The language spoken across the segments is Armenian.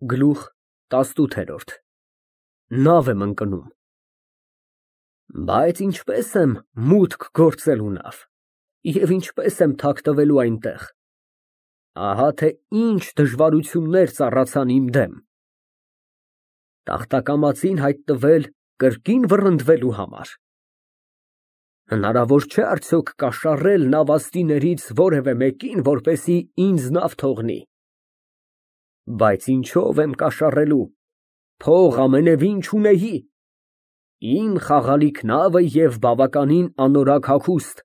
Գլուխ տասնութերորդ Նավ եմ ընկնում։ Բայց ինչպես եմ մուտք գործելու նավ, և ինչպես եմ թաքնվելու այնտեղ, ահա թե ինչ դժվարություններ ծառացան իմ դեմ. Տախտակամածին հայտնվել կրկին վռնդվելու համար։ Հնարավոր չէ արդյոք կաշառել նավաստիներից որևէ մեկին, որպեսզի ինձ նավ թողնի։ Բայց ինչով եմ կաշառելու, փող ամենևին չունեի, իմ խաղալիք նավը և բավականին անորակ հագուստ,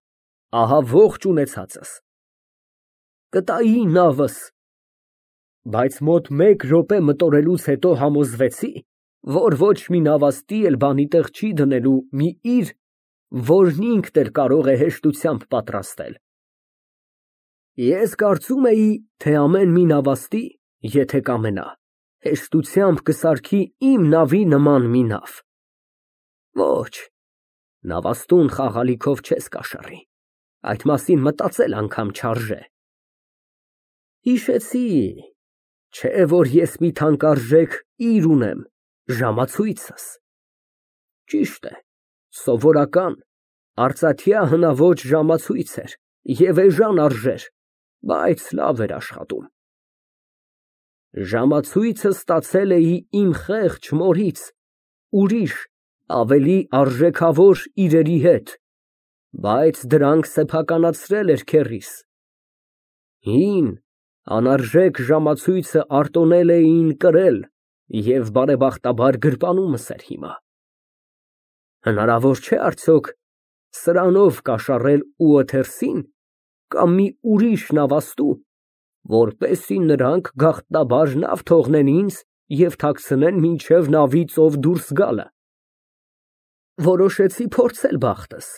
ահա ողջ ունեցածս։ Կտայի նավս, բայց մոտ մեկ րոպե մտորելուց հետո համոզվեցի, որ ոչ մի նավաստի էլ բանի տեղ չի դնելու մի իր, որն ինքն էլ կարող է հեշտությամբ պատրաստել։ Ես կարծում էի, թե ամեն մի նավաստի, եթե կամենա, հեշտությամբ կսարքի իմ նավի նման մի նավ։ Ոչ, նավաստուն խաղալիքով չես կաշառի, այդ մասին մտածել անգամ չարժե։ Հիշեցի, չէ որ ես մի թանկարժեք իր ունեմ, ժամացույցս։ Ճիշտ է, սովորական, արծաթյա հնաոճ ժամացույց էր և էժան արժեր, բայց լավ էր աշխատում։ Ժամացույցը ստացել էի իմ խեղճ մորից, ուրիշ, ավելի արժեքավոր իրերի հետ, բայց դրանք սեփականացրել էր քեռիս։ Հին, անարժեք ժամացույցը արտոնել էին կրել և բարեբախտաբար գրպանումս էր հիմա։ Հնարավոր չէ արդյոք սրանով կաշառել Ուոթերսին կամ մի ուրիշ նավաստու, որպեսզի նրանք գաղտնաբար նավ թողնեն ինձ և թաքցնեն մինչև նավի ծով դուրս գալը։ Որոշեցի փորձել բախտս։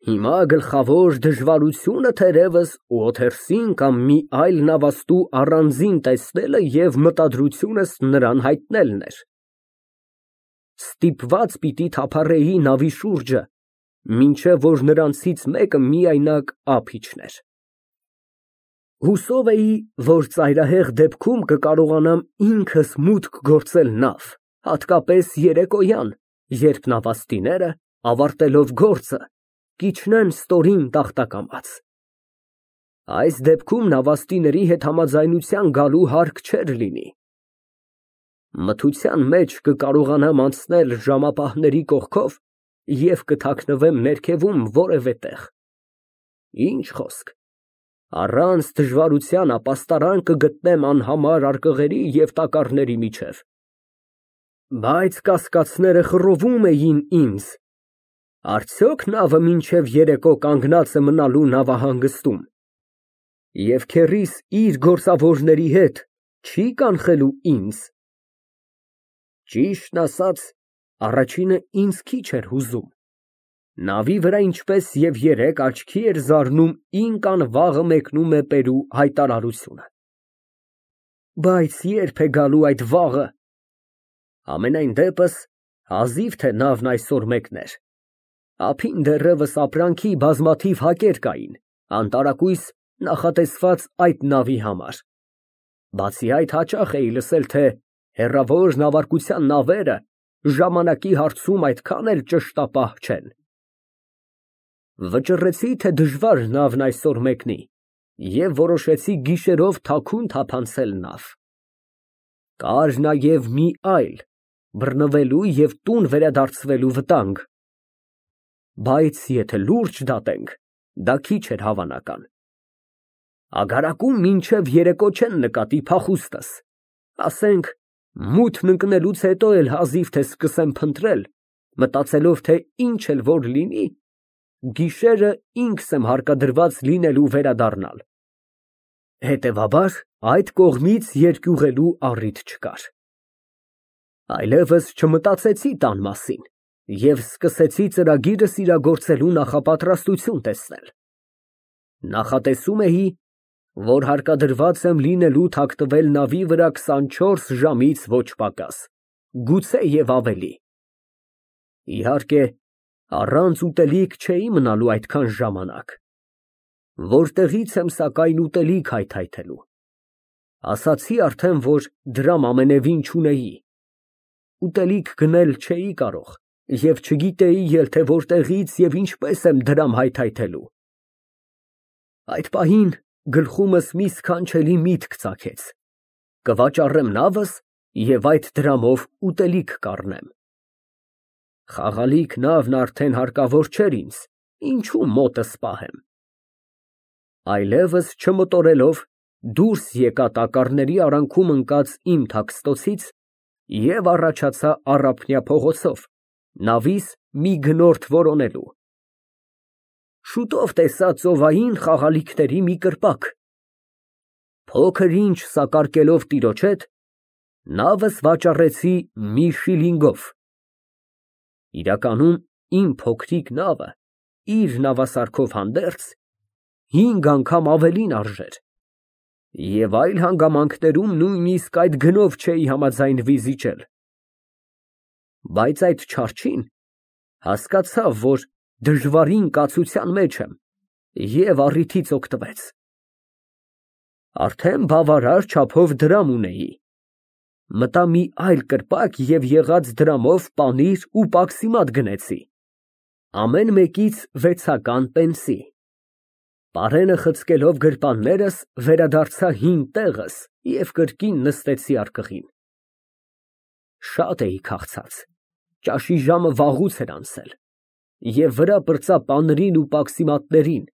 Հիմա գլխավոր դժվարությունը թերևս Ուոթերսին կամ մի այլ նավաստու առանձին տեսնելը և մտադրությունս նրան հայտնելն էր։ Ստիպված պիտի թափառեի նավի շուրջը, մինչև որ նրանցից մեկը միայնակ ափ իջներ։ Հուսով էի, որ ծայրահեղ դեպքում կկարողանամ ինքս մուտք գործել նավ, հատկապես երեկոյան, երբ նավաստիները, ավարտելով գործը, կիջնեն ստորին տախտակամած։ Այս դեպքում նավաստիների հետ համաձայնության գալու հարկ չէր լինի։ Մթության մեջ կկարողանամ անցնել ժամապահների կողքով և կթաքնվեմ ներքևում որևէ տեղ։ Ինչ խոսք, առանց դժվարության ապաստարան կգտնեմ անհամար արկղերի և տակառների միջև։ Բայց կասկածները խռովում էին ինձ. արդյոք նավը մինչև երեկո կանգնած է մնալու նավահանգստում, և քեռիս իր գործավորների հետ չի կանխելու ինձ։ Ճիշտն ասած, առաջինը ինձ քիչ էր հուզում։ Նավի վրա ինչպես և երեկ աչքի էր զարնում ինքն վաղը մեկնում է Պերու հայտարարությունը։ Բայց ե՞րբ է գալու այդ վաղը։ Համենայն դեպս, հազիվ թե նավն այսօր մեկներ։ Ափին դեռևս ապրանքի բազմաթիվ հակեր կային, անտարակույս նախատեսված այդ նավի համար։ Բացի այդ, հաճախ էի լսել, թե հեռավոր նավարկության նավերը ժամանակի հարցում այդքան էլ ճշտապահ չեն։ Վճռեցի, թե դժվար նավն այսօր մեկնի, և որոշեցի գիշերով թաքուն թափանցել նավ։ Կար նաև մի այլ, բռնվելու և տուն վերադարձվելու վտանգ։ Բայց եթե լուրջ դատենք, դա քիչ էր հավանական։ Ագարակում մինչև երեկո չեն նկատի փախուստս, ասենք, մութն ընկնելուց հետո էլ հազիվ թե սկսեմ փնտրել, մտածելով, թե ինչ էլ որ լինի, գիշերը ինքս եմ հարկադրված լինելու վերադառնալ։ Հետևաբար, այդ կողմից երկյուղելու առիթ չկար։ Այլևս չմտածեցի տան մասին և սկսեցի ծրագիրս իրագործելու նախապատրաստություն տեսնել։ Նախատեսում էի, որ հարկադրված եմ լինելու թաքնվել նավի վրա 24 ժամից ոչ պակաս, գուցե և ավելի։ Իհարկե, առանց ուտելիք չէի մնալու այդքան ժամանակ։ Որտեղի՞ց եմ սակայն ուտելիք հայթայթելու։ Ասացի արդեն, որ դրամ ամենևին չունեի, ուտելիք գնել չէի կարող և չգիտեի էլ, թե որտեղից և ինչպես եմ դրամ հայթայթելու։ Այդ պահին գլխումս մի սքանչելի միտք ծագեց. կվաճառեմ նավս և այդ դրամով ուտելիք կառնեմ։ Խաղալիք նավն արդեն հարկավոր չէր ինձ, ինչու մոտս պահեմ։ Այլևս չմտորելով դուրս եկա տակառների արանքում ընկած իմ թաքստոցից և առաջացա Առափնյա փողոցով, նավիս մի գնորդ որոնելու։ Շուտով տեսա ծովային խաղալիքների մի կրպակ, փոքր ինչ սակարկելով տիրոջ հետ, նավս վաճառեցի մի շիլինգով։ Իրականում իմ փոքրիկ նավը իր նավասարքով հանդերձ 5 անգամ ավելին արժեր, և այլ հանգամանքներում նույնիսկ այդ գնով չէի համաձայնվի զիջել։ Բայց այդ չարչին հասկացավ, որ դժվարին կացության մեջ եմ և առիթից օգտվեց։ Արդեն բավարար չափով դրամ ունեի, մտա մի այլ կրպակ և եղած դրամով պանիր ու պաքսիմատ գնեցի, ամեն մեկից 6 պենսի։ Պարենը խցկելով գրպաններս, վերադարձա հին տեղս և կրկին նստեցի արկղին։ Շատ էի քաղցած, ճաշի ժամը վաղուց էր անցել, և վրա պրծա պանրին ու պաքսիմատներին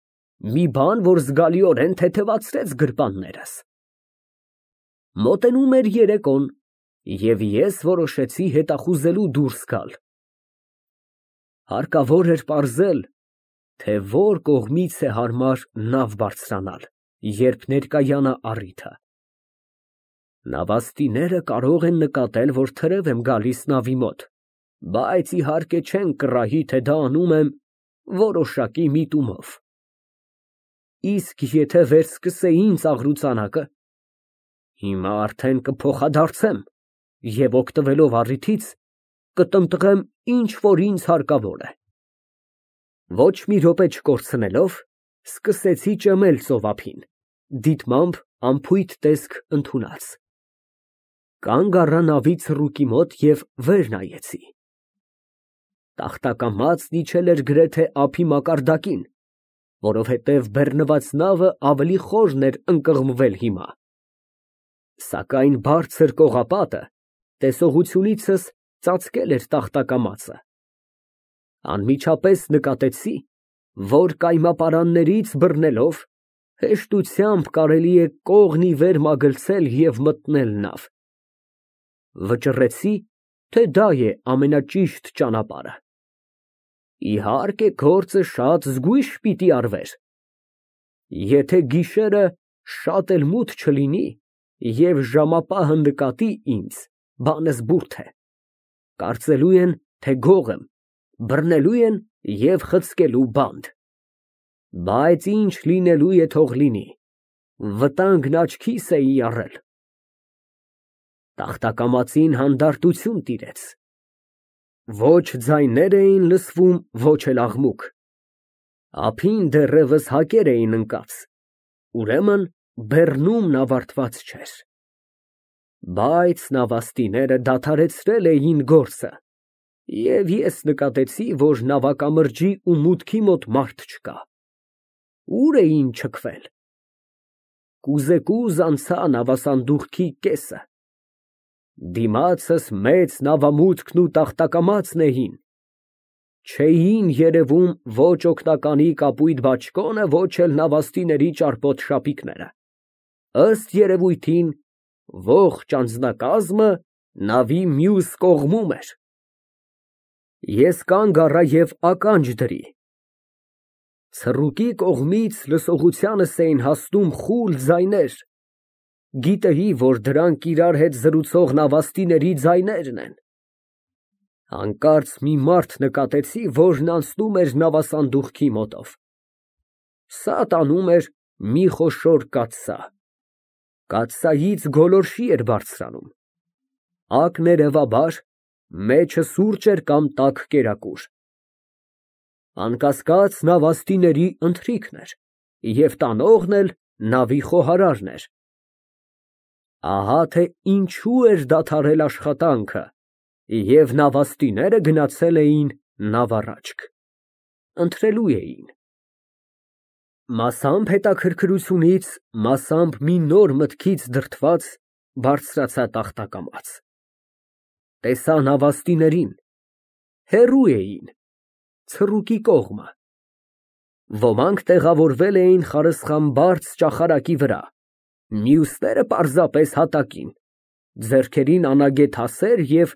մի բան, որ զգալիորեն թեթևացրեց գրպաններս։ Մոտենում էր երեկոն, և ես որոշեցի հետախուզելու դուրս գալ։ Հարկավոր էր պարզել, թե որ կողմից է հարմար նավ բարձրանալ, երբ ներկայանա առիթը։ Նավաստիները կարող են նկատել, որ թրև եմ գալիս նավի մոտ, բայց իհարկե չեն կռահի, թե դա անում եմ որոշակի միտումով։ Իսկ եթե վերսկսեին ծաղրուծանակը, հիմա արդեն կփոխադարձեմ և օգտվելով առիթից, կտնտղեմ ինչ որ ինձ հարկավոր է։ Ոչ մի րոպե չկորցնելով, սկսեցի ճմել ծովափին, դիտմամբ անփույթ տեսք ընդունած։ Կանգ առա նավի ցռուկի մոտ և վեր նայեցի։ Տախտակամածն իջել էր գրեթե ափի մակարդակին, որովհետև բեռնված նավը ավելի խորն էր ընկղմվել հիմա։ Սակայն բարձր կողապատը տեսողությունիցս ծածկել էր տախտակամածը։ Անմիջապես նկատեցի, որ կայմապարաններից բռնելով հեշտությամբ կարելի է կողն ի վեր մագլցել և մտնել նավ։ Վճռեցի, թե դա է ամենաճիշտ ճանապարհը։ Իհարկե, գործը շատ զգույշ պիտի արվեր։ Եթե գիշերը շատ էլ մութ չլինի և ժամապահը նկատի ինձ, բանս բուրդ է, կարծելու են, թե գող եմ, բռնելու են և խցկելու բանդ։ Բայց ինչ լինելու է թող լինի, վտանգն աչքիս էի առել։ Տախտակամածին հանդարտություն տիրեց։ Ոչ ձայներ էին լսվում, ոչ էլ աղմուկ։ Ափին դեռևս հակեր էին ընկած, ուրեմն բեռնումն ավարտված չէր։ Բայց նավաստիները դադարեցրել էին գործը, և ես նկատեցի, որ նավակամրջի ու մուտքի մոտ մարդ չկա։ Ուր էին չքվել։ Կուզեկուզ անցա նավասանդուղքի կեսը։ Դիմացս մեծ նավամուտքն ու տախտակամածն էին, չէին երևում ոչ օգնականի կապույտ բաճկոնը, ոչ էլ նավաստիների ճարպոտ շապիկները։ Ըստ երևույթին, ողջ անձնակազմը նավի մյուս կողմում էր։ Ես կանգ առա և ականջ դրի։ Ցռուկի կողմից լսողությանս էին հասնում խուլ ձայներ, գիտեի, որ դրանք իրար հետ զրուցող նավաստիների ձայներն են։ Հանկարծ մի մարդ նկատեցի, որն անցնում էր նավասանդուղքի մոտով։ Սա տանում էր մի խոշոր կաթսա։ Կաթսայից գոլորշի էր բարձրանում։ Ակներևաբար, մեջը սուրճ էր կամ տաք կերակուր։ Անկասկած, նավաստիների ընթրիքն էր, և տանողն էլ նավի խոհարարն էր։ Ահա թե ինչու էր դադարել աշխատանքը, և նավաստիները գնացել էին նավառաջք, ընթրելու էին։ Մասամբ հետաքրքրությունից, մասամբ մի նոր մտքից դրդված բարձրացա տախտակամաց։ Տեսա նավաստիներին, հեռու էին, ցռուկի կողմը։ Ոմանք տեղավորվել էին խարսխամբարձ ճախարակի վրա, մյուսները պարզապես հատակին, ձեռքերին անագետ հասեր և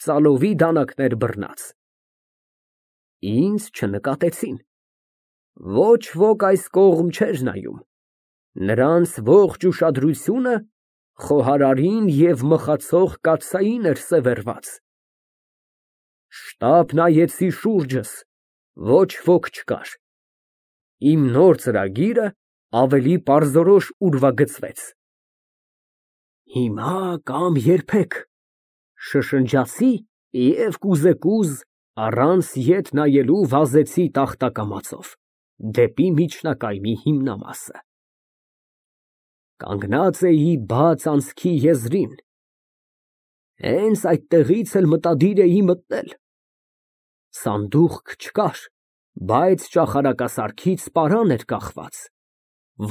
ծալովի դանակներ բռնած։ Ինձ չնկատեցին։ Ոչ ոք այս կողմ չէր նայում, նրանց ողջ ուշադրությունը խոհարարին և մխացող կաթսային էր սևեռված։ Շտապ նայեցի շուրջս, ոչ ոք չկար։ Իմ նոր ծրագիրը ավելի պարզորոշ ուրվագծվեց։ Հիմա կամ երբեք, շշնջացի և կուզեկուզ առանց ետ նայելու վազեցի տախտակամածով դեպի միջնակայմի հիմնամասը։ Կանգնած էի բաց անցքի եզրին, հենց այդտեղից էլ մտադիր էի մտնել։ Սանդուղք չկար, բայց ճախարակասարքից պարան էր կախված,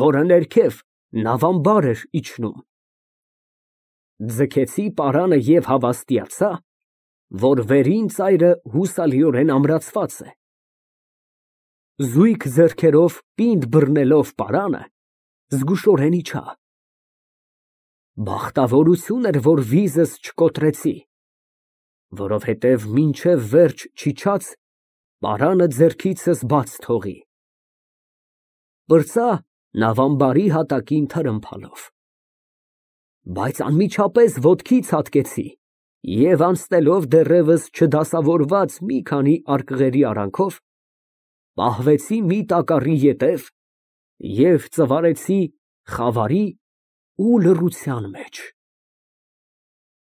որը ներքև նավամբար էր իջնում։ Ձգեցի պարանը և հավաստիացա, որ վերին ծայրը հուսալիորեն ամրացված է։ Զույգ ձեռքերով պինդ բռնելով պարանը, զգուշորեն իջա։ Բախտավորություն էր, որ վիզս չկոտրեցի, որովհետև մինչև վերջ չիջաց, պարանը ձեռքիցս բաց թողի։ Պրծա նավամբարի հատակին թրմփալով։ Բայց անմիջապես ոտքի ցատկեցի և անցնելով դեռևս չդասավորված մի քանի արկղերի արանքով, պահվեցի մի տակառի ետև և ծվարեցի խավարի ու լռության մեջ։